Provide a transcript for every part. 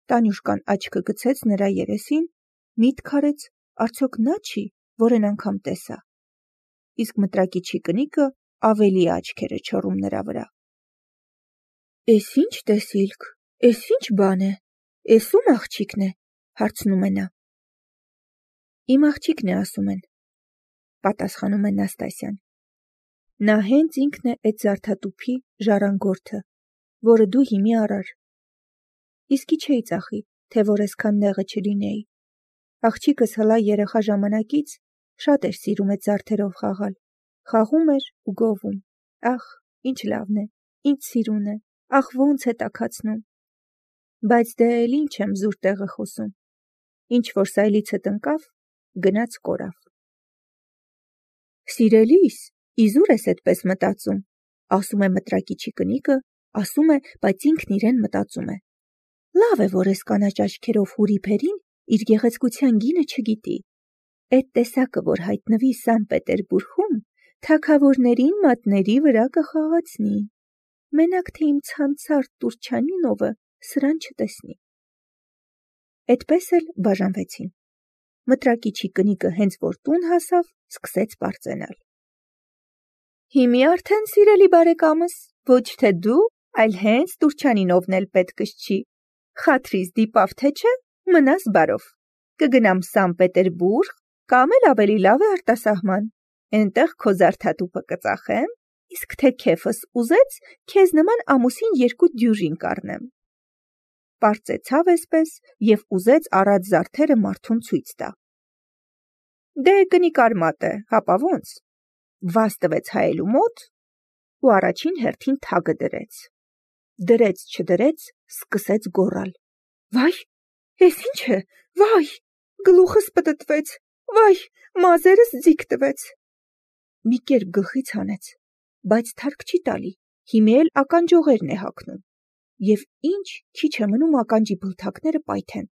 Տանյուշկան աչքը գցեց նրա երեսին, միտք արեց, արդյոք նա չի, որն անգամ տեսա։ Իսկ մտրակիչի կնիկը ավելի աչքերը չորում նրա վրա։ Էս ինչ տեսիլք, էս ինչ բան է, էս ում աղջիկն է, հարցնում է նա։ Իմ աղջիկն է ասում են, պատասխանում է Նաստասյան։ Նա հենց ինքն է այդ զարդատուփի ժառանգորդը, որը դու հիմի արար։ Իսկի չէի ծախի, թե որ այսքան նեղը չլինեի։ Աղջիկս հլա երեխա ժամանակից շատ էր սիրում այդ զարդերով խաղալ։ Խաղում էր ու գովում։ Ախ, ինչ լավն է, ինչ սիրուն է, ախ ոնց է տաքացնում։ Բայց դե էլ ինչ եմ զուր տեղը խոսում։ Ինչ որ սայլիցդ ընկավ, գնաց կորավ։ Սիրելիս, իզուր ես այդպես մտածում, ասում է մտրակիչի կնիկը, ասում է, բայց ինքն իրեն մտածում է։ Լավ է, որ ես կանաչ աչքերով հուրիփերին իր գեղեցկության գինը չգիտի։ Այդ տեսակը, որ հայտնվի Սան Պետերբուրգում, թագավորներին մատների վրա կխաղացնի։ Մենակ թե իմ ցանցարտ Տուրչանինովը սրան չտեսնի։ Այդպես էլ բաժանվեցին։ Մտրակիչի կնիկը հենց որ տուն հասավ, սկսեց պարծենալ։ Հիմի արդեն սիրելի բարեկամս, ոչ թե դու, այլ հենց Տուրչանինովն էլ պետքս չի։ Խաթրիս դիպավ թե չէ, մնաս բարով։ Կգնամ Սան Պետերբուրգ, կամ էլ ավելի լավ է արտասահման։ Էնտեղ քո զարդատուփը կծախեմ, իսկ թե քեֆս ուզեց, քեզ նման ամուսին 2 դյուժին կառնեմ։ Պարծեցավ էսպես և ուզեց առած զարդերը մարդուն ցույց տա։ Դե կնիկ արմատ է, հապա ոնց։ Վազ տվեց հայելու մոտ ու առաջին հերթին թագը դրեց։ Դրեց չդրեց, սկսեց գոռալ. Վայ, էս ինչ է, վայ, գլուխս պտտվեց, վայ, մազերս ձիգ տվեց։ Մի կերպ գլխից հանեց, բայց թարք չի տալի, հիմի էլ ականջողերն է հագնում։ Եվ ինչ քիչ է մնում ականջի բլթակները պայթեն։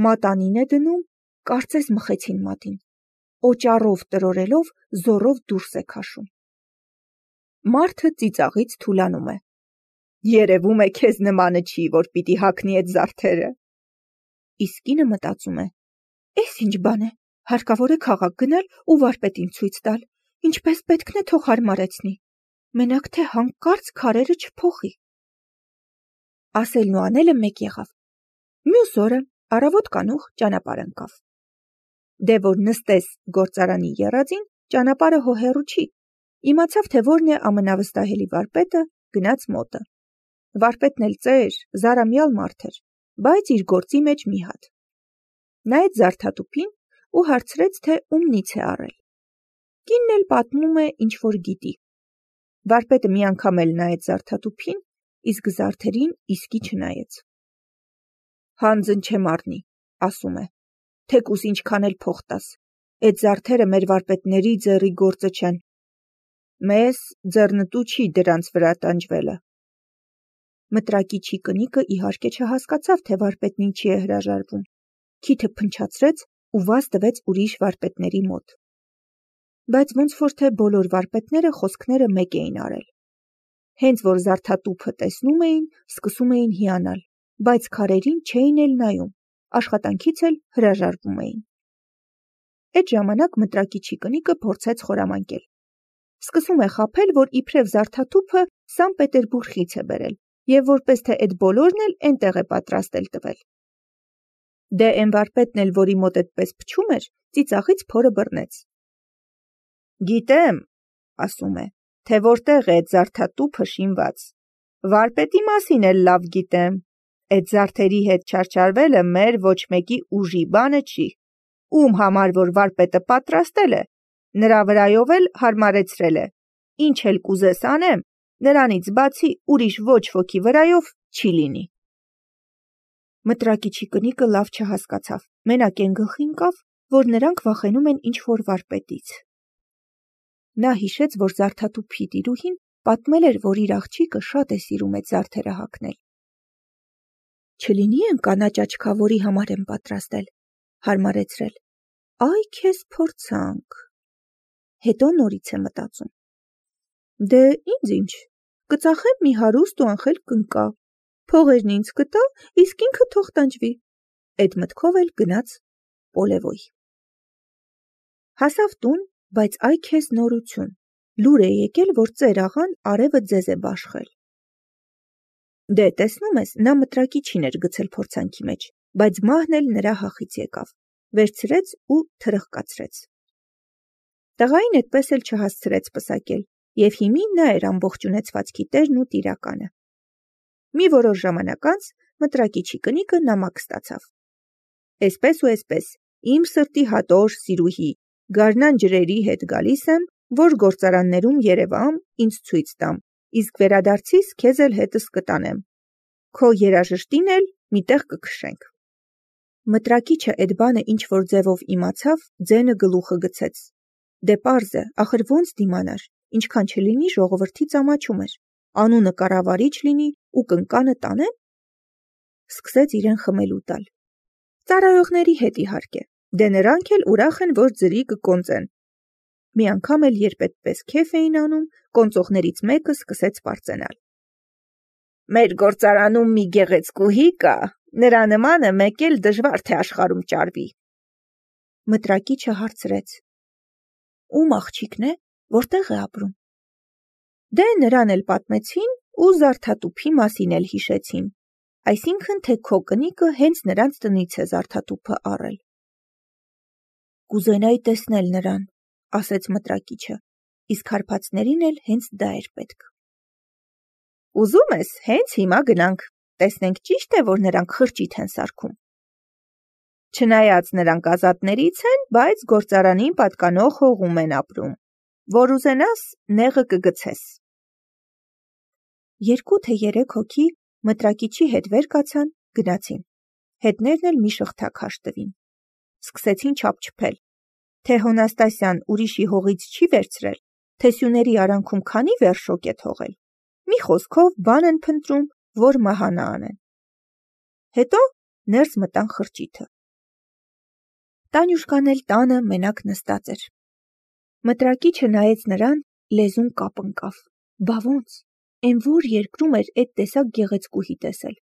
Մատանին է դնում, կարծես մխեցին մատին։ Օճառով տրորելով զորով դուրս է քաշում։ Մարդը ծիծաղից թուլանում է։ Երևում է քեզ նմանը չի, որ պիտի հագնի այդ զարդերը։ Իսկ կինը մտածում է. Էս ինչ բան է, հարկավոր է քաղաք գնալ ու վարպետին ցույց տալ, ինչպես պետքն է թող հարմարեցնի, մենակ թե հանկարծ քարերը չփոխի։ Ասելն ու անելը մեկ եղավ։ Մյուս օրը առավոտ կանուխ ճանապարհ ընկավ։ Դե որ նստես գործարանի եռածին, ճանապարհը հոհեռու չի։ Իմացավ, թե որն է ամենավստահելի վարպետը, գնաց մոտը։ Վարպետն էլ ծեր, զարամյալ մարդ էր, բայց իր գործի մեջ մի հատ։ Նայեց զարդատուփին ու հարցրեց, թե ումնից է առել։ Կինն էլ պատմում է, ինչ որ գիտի։ Վարպետը մի անգամ էլ նայեց զարդատուփին, իսկ զարդերին իսկի չնայեց։ Հանձն չեմ առնի, ասում է, թեկուս ինչքան էլ փող տաս, այդ զարդերը մեր վարպետների ձեռի գործը չեն։ Մեզ ձեռնտու չի դրանց վրա տանջվելը։ Մտրակիչի կնիկը իհարկե չհասկացավ, թե վարպետն ինչի է հրաժարվում։ Քիթը փնչացրեց ու վազ տվեց ուրիշ վարպետների մոտ։ Բայց ոնց որ թե բոլոր վարպետները խոսքները մեկ էին արել։ Հենց որ զարդատուփը տեսնում էին, սկսում էին հիանալ, բայց քարերին չէին էլ նայում, աշխատանքից էլ հրաժարվում էին։ Այդ ժամանակ մտրակիչի կնիկը փորձեց խորամանկել։ Սկսում է խաբել, որ իբրև զարդատուփը Սան Պետերբուրգից է բերել, եւ որպես թե այդ բոլորն էլ այնտեղ է պատրաստել տվել։ Դե այն վարպետն էլ, որի մոտ այդպես փչում էր, ծիծաղից փորը բռնեց։ Գիտեմ, ասում է, թե որտեղ է այդ զարդատուփը շինված։ Վարպետի մասին էլ լավ գիտեմ։ Այդ զարդերի հետ չարչարվելը մեր ոչ մեկի ուժի բանը չի։ Ում համար որ վարպետը պատրաստել է, նրա վրայով էլ հարմարեցրել է։ Ինչ էլ կուզես անեմ, նրանից բացի ուրիշ ոչ ոքի վրայով չի լինի։ Մտրակիչի կնիկը լավ չհասկացավ, մենակ այն գլխի ընկավ, որ նրանք վախենում են ինչ-որ վարպետից։ Նա հիշեց, որ զարդատուփի տիրուհին պատմել էր, որ իր աղջիկը շատ է սիրում այդ զարդերը հագնել։ Չլինի են կանաչ աչքավորի համար են պատրաստել, հարմարեցրել։ Այ քեզ փորձանք։ Հետո նորից է մտածում. Դե ինձ ինչ, կծախեմ մի հարուստ ու անխելք կնկա, Փողերն ինձ կտա, իսկ ինքը թող տանջվի։ Էդ մտքով էլ գնաց Պոլևոյ։ Հասավ տուն, բայց այ քեզ նորություն։ Լուր է եկել, որ ծեր աղան արևը ձեզ է բաշխել։ Դե, տեսնում ես, նա մտրակիչին էր գցել փորձանքի մեջ, բայց մահն էլ նրա հախից եկավ, վերցրեց ու թրխկացրեց։ Տղային այդպես էլ չհասցրեց պսակել, և հիմի նա էր ամբողջ ունեցվածքի տերն ու տիրականը։ Մի որոշ ժամանակ անց մտրակիչի կնիկը նամակ ստացավ։ Էսպես ու էսպես, իմ սրտի հատոր սիրուհի, գարնան ջրերի հետ գալիս եմ, որ գործարաններում երևամ, ինձ ցույց տամ, իսկ վերադարձիս քեզ էլ հետս կտանեմ։ Քո երաժշտին էլ միտեղ կքշենք։ Մտրակիչը էդ բանը ինչ-որ ձևով իմացավ, ձենը գլուխը գցեց։ Դե պարզ է, ախր ոնց դիմանար, ինչքան չլինի ժողովրդի ծամաչում էր, անունը կառավարիչ լինի ու կնկանը տանեն։ Սկսեց իրեն խմելու տալ։ Ծառայողների հետ իհարկե, դե նրանք էլ ուրախ են, որ ձրի կկոնծեն։ Մի անգամ էլ երբ այդպես քեֆ էին անում, կոնծողներից մեկը սկսեց պարծենալ. Մեր գործարանում մի գեղեցկուհի կա, նրա նմանը մեկ էլ դժվար թե աշխարհում ճարվի։ Մտրակիչը հարցրեց. Ում աղջիկն է, որտեղ է ապրում։ Դե նրան էլ պատմեցին ու զարդատուփի մասին էլ հիշեցին, այսինքն թե քո կնիկը հենց նրանց տնից է զարդատուփը առել։ Կուզենայի տեսնել նրան, ասեց մտրակիչը, իսկ հարբածներին էլ հենց դա էր պետք։ Ուզում ես, հենց հիմա գնանք, տեսնենք ճիշտ է, որ նրանք խրճիթ են սարքում։ Չնայած նրանք ազատներից են, բայց գործարանին պատկանող հողում են ապրում, որ ուզենաս, նեղը կգցես։ 2 թե 3 հոգի մտրակիչի հետ վեր կացան, գնացին, հետներն էլ մի շղթակ հաշտվին։ Սկսեցին չափչփել, թե Հոնաստասյան ուրիշի հողից չի վերցրել, թե սյուների արանքում քանի վերշոկ է թողել։ Մի խոսքով բան են փնտրում, որ մահանա անեն։ Հետո ներս մտան խրճիթը։ Տանյուշկան էլ տանը մենակ նստած էր։ Մտրակիչը նայեց նրան, լեզուն կապ ընկավ։ Բա ոնց, են որ երկրում էր այդ տեսակ գեղեցկուհի տեսել։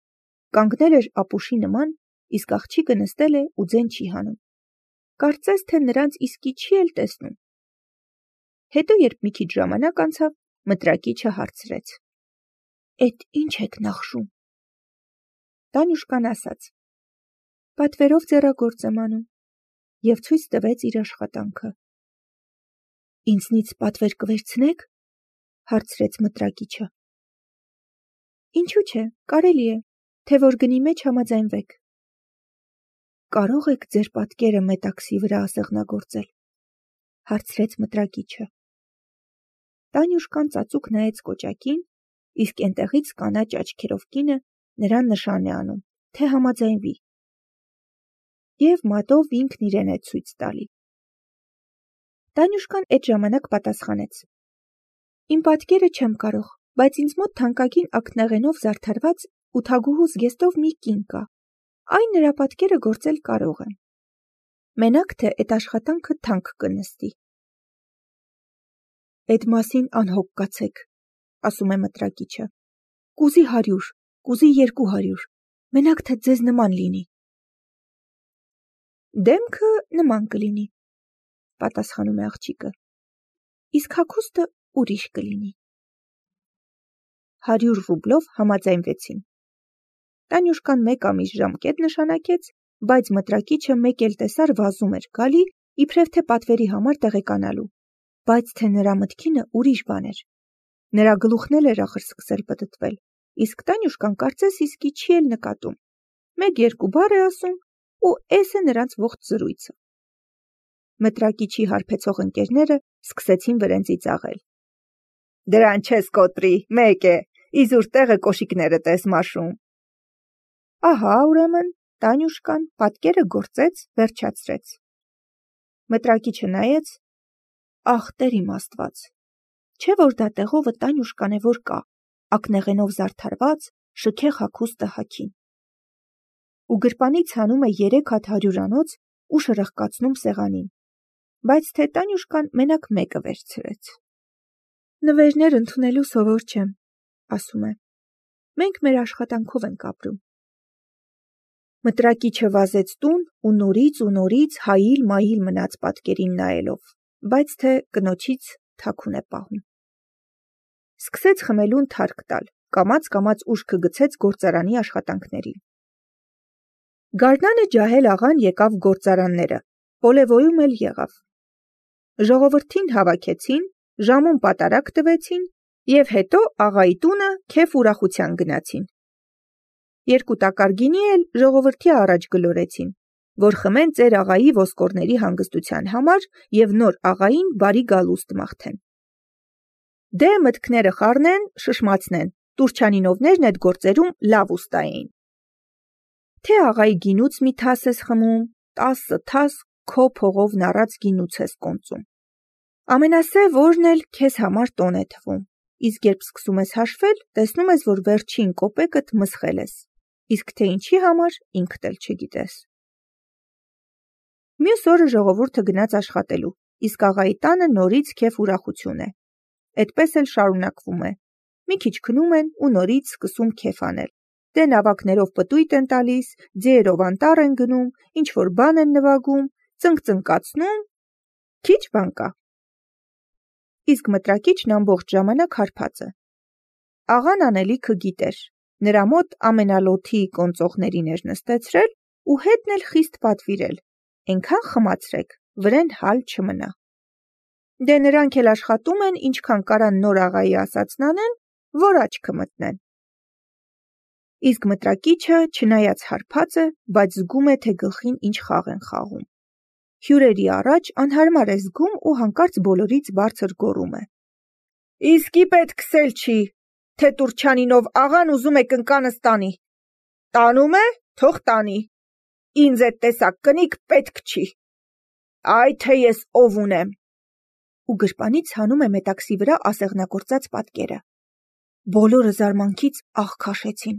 Կանգնել էր ապուշի նման, իսկ աղջիկը նստել է ու ձեն չի հանում։ Կարծես թե նրանց իսկի չի էլ տեսնում։ Հետո երբ մի քիչ ժամանակ անցավ, մտրակիչը հարցրեց. Էդ ինչ եք նախշում։ Տանյուշկան ասաց. Պատվերով ձեռագործ եմ անում, և ցույց տվեց իր աշխատանքը։ Ինձնից պատվեր կվերցնեք, հարցրեց մտրակիչը։ Ինչու՞ չէ, կարելի է, թե որ գնի մեջ համաձայնվեք։ Կարող եք ձեր պատկերը մետաքսի վրա ասեղնագործել, հարցրեց մտրակիչը։ Տանյուշկան ծածուկ նայեց կոճակին, իսկ այնտեղից կանաչ աչքերով կինը նրան նշան է անում, թե համաձայնվի։ Եվ մատով ինքն իրեն է ցույց տալի։ Տանյուշկան այդ ժամանակ պատասխանեց. Իմ պատկերը չեմ կարող, բայց ինձ մոտ թանկագին ակնեղենով զարդարված ու թագուհու զգեստով մի կին կա։ Այն նրա պատկերը գործել կարող եմ։ Մենակ թե այդ աշխատանքը թանկ կնստի։ Այդ մասին անհոգ կացեք, ասում է մտրակիչը։ Կուզի 100, կուզի 200, մենակ թե ձեզ նման լինի։ Դեմքը նման կլինի, պատասխանում է աղջիկը, իսկ հագուստը ուրիշ կլինի։ 100 ռուբլով համաձայնվեցին։ Տանյուշկան 1 ամիս ժամկետ նշանակեց, բայց մտրակիչը մեկ էլ տեսար վազում էր գալի, իբրև թե պատվերի համար տեղեկանալու, բայց թե նրա մտքինը ուրիշ բան էր։ Նրա գլուխն էլ էր ախր սկսել պտտվել, իսկ Տանյուշկան կարծես իսկի չի էլ նկատում։ 1-2 բառ է ասում, ու էս է նրանց ողջ զրույցը։ Մտրակիչի հարբեցող ընկերները սկսեցին վրենձի ծաղել։ Դրան չես կոտրի, մեկ է, իզուր տեղը կոշիկներդ ես մաշում։ Ահա, ուրեմն, Տանյուշկան պատկերը գործեց, վերջացրեց։ Մտրակիչը նայեց, ախ, Տեր իմ Աստված, չէ որ դա տեղովը Տանյուշկան է, որ կա, ակնեղենով զարդարված, շքեղ հագուստը հագին։ Ու գրպանից հանում է 3 հատ հարյուրանոց ու շրխկացնում սեղանին, բայց թե Տանյուշկան մենակ մեկը վերցրեց։ Նվերներ ընդունելու սովոր չեմ, ասում է, մենք մեր աշխատանքով ենք ապրում։ Մտրակիչը վազեց տուն ու նորից հայիլ-մայիլ մնաց պատկերին նայելով, բայց թե կնոջից թաքուն է պահում։ Սկսեց խմելուն թարք տալ, կամաց ուշքը գցեց գործարանի աշխատանքներին։ Գարնանը ջահել աղան եկավ գործարանները, պոլևոյում էլ եղավ։ Ժողովրդին հավաքեցին, ժամուն պատարակ տվեցին և հետո աղայի տունը քեֆ ուրախության գնացին։ 2 տակար գինի էլ ժողովրդի առաջ գլորեցին, որ խմեն ծեր աղայի ոսկորների հանգստության համար և նոր աղային բարի գալուստ մաղթեն։ Դե մտքները խառնեն, շշմացնեն, տուրչանինովներն էդ գործերում լավ ուստա էին։ Թե աղայի գինուց մի թաս ես խմում, 10 թաս քո փողով նառած գինուց ես կոնծում։ Ամենասև օրն էլ քեզ համար տոն է թվում, իսկ երբ սկսում ես հաշվել, տեսնում ես, որ վերջին կոպեկդ մսխել ես, իսկ թե ինչի համար ինքդ էլ չգիտես։ Մյուս օրը ժողովուրդը գնաց աշխատելու, իսկ աղայի տանը նորից քեֆ ուրախություն է։ Էդպես էլ շարունակվում է։ Մի քիչ քնում են ու նորից սկսում քեֆ անել։ Դե նավակներով պտույտ են տալիս, ձիերով անտառ են գնում, ինչ-որ բան են նվագում, ծնկ-ծնկացնում, քիչ բան կա։ Իսկ մտրակիչն ամբողջ ժամանակ հարբած է։ Աղան անելիքը գիտեր, նրա մոտ ամենալոթի կոնծողներին էր նստեցրել ու հետն էլ խիստ պատվիրել, էնքան խմացրեք, վրեն հալ չմնա։ Դե նրանք էլ աշխատում են, ինչքան կարան նոր աղայի ասածն անեն, որ աչքը մտնեն։ Իսկ մտրակիչը, չնայած հարբած է, բայց զգում է, թե գլխին ինչ խաղ են խաղում։ Հյուրերի առաջ անհարմար է զգում ու հանկարծ բոլորից բարձր գոռում է. Իսկի պետք քսել չի, թե տուրչանինով աղան ուզում է կնկանս տանի։ Տանում է, թող տանի։ Ինձ էդ տեսակ կնիկ պետք չի։ Այ թե ես ով ունեմ։ Ու գրպանից հանում է մետաքսի վրա ասեղնագործած պատկերը։ Բոլորը զարմանքից աղ քաշեցին,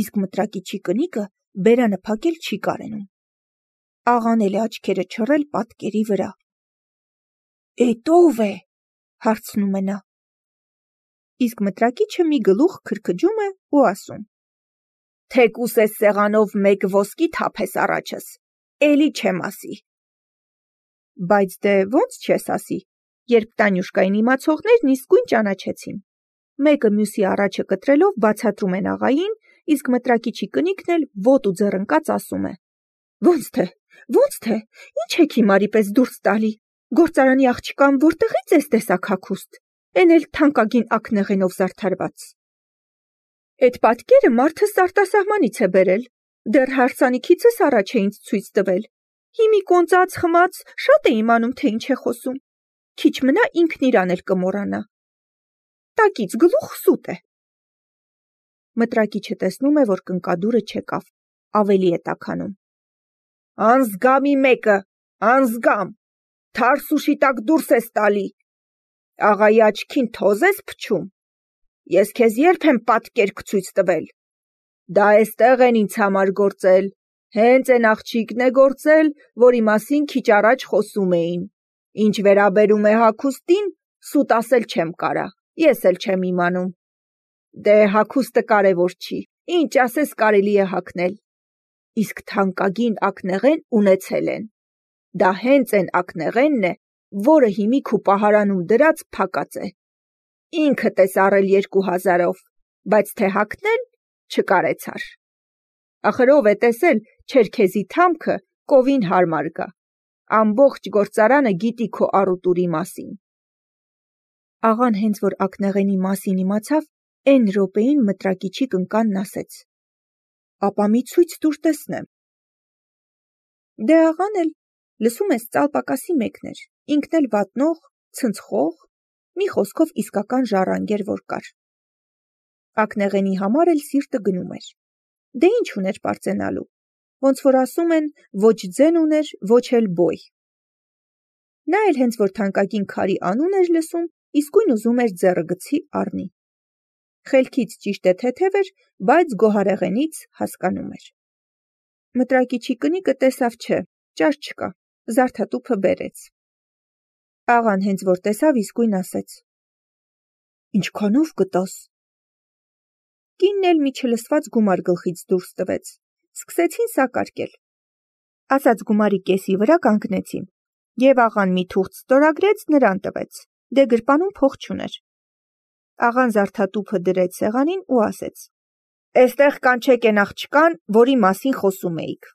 իսկ մտրակիչի կնիկը բերանը փակել չի կարենում։ Աղան էլ է աչքերը չռել պատկերի վրա։ Էդ ով է, հարցնում է նա։ Իսկ մտրակիչը մի գլուխ քրքջում է ու ասում. Թեկուս ես սեղանով մեկ ոսկի թափես առաջս, էլի չեմ ասի։ Բայց դե ոնց չես ասի, երբ Տանյուշկային իմացողներն իսկույն ճանաչեցին։ Մեկը մյուսի առաջը կտրելով բացատրում են աղային, իսկ մտրակիչի կնիկն էլ ոտ ու ձեռնկած ասում է. Ոնց թե, ինչ եք հիմարի պես դուրս տալի, գործարանի աղջկան որտեղից ես տեսակ հագուստ, էն էլ թանկագին ակնեղենով զարդարված։ Էդ պատկերը մարդս արտասահմանից է բերել, դեռ հարսանիքիցս առաջ է ինձ ցույց տվել։ Հիմի կոնծած խմած շատ է իմանում, թե ինչ է խոսում։ Քիչ մնա ինքն իրան էլ կմոռանա։ Տակից գլուխ սուտ է։ Մտրակիչը տեսնում է, որ կնկադուրը չեկավ, ավելի է տաքանում։ Անզգամի մեկը, անզգամ, թարսուշի տակ դուրս ես տալի։ Աղայի աչքին թոզ ես փչում։ Ես քեզ երբ եմ պատկերք ցույց տվել։ Դա էստեղ են ինձ համար գործել, հենց են աղջիկն է գործել, որի մասին քիչ առաջ խոսում էին։ Ինչ վերաբերում է հագուստին, սուտ ասել չեմ կարա, ես էլ չեմ իմանում։ Դե հագուստը կարևոր չի, ինչ ասես կարելի է հագնել։ Իսկ թանկագին ակնեղեն ունեցել են։ Դա հենց են ակնեղենն է, որը հիմիկ ու պահարանում դրած փակած է։ Ինքդ ես առել 2000-ով, բայց թե հագնել չկարեցար։ Ախր ով է տեսել չերքեզի թամքը կովին հարմար գա։ Ամբողջ գործարանը գիտի քո առուտուրի մասին։ Աղան հենց որ ակնեղենի մասին իմացավ, էն րոպեին մտրակիչի կնկանն ասեց. Ապա մի ցույց տուր տեսնեմ։ Դե աղան էլ, լսում ես, ծալպակասի մեկն էր, ինքն էլ վատնող, ցնցխող, մի խոսքով իսկական ժառանգեր որ կար։ Ակնեղենի համար էլ սիրտը գնում էր։ Դե ինչ ուներ պարծենալու, ոնց որ ասում են, ոչ ձեն ուներ, ոչ էլ բոյ։ Նա էլ հենց որ թանկագին քարի անուն էր լսում, իսկույն ուզում էր ձեռը գցի առնի։ Խելքից ճիշտ է թեթև էր, բայց գոհարեղենից հասկանում էր։ Մտրակիչի կնիկը տեսավ չէ, ճար չկա, զարդատուփը բերեց։ Աղան հենց որ տեսավ իսկույն ասեց. Ինչքանով կտաս։ Կինն էլ մի չլսված գումար գլխից դուրս տվեց։ Սկսեցին սակարկել։ Ասած գումարի կեսի վրա կանգնեցին, եւ աղան մի թուղթ ստորագրեց, նրան տվեց։ Դե գրպանում փող չուներ։ Աղան զարդատուփը դրեց սեղանին ու ասեց. «Էստեղ կանչեք էն աղջկան, որի մասին խոսում էիք»։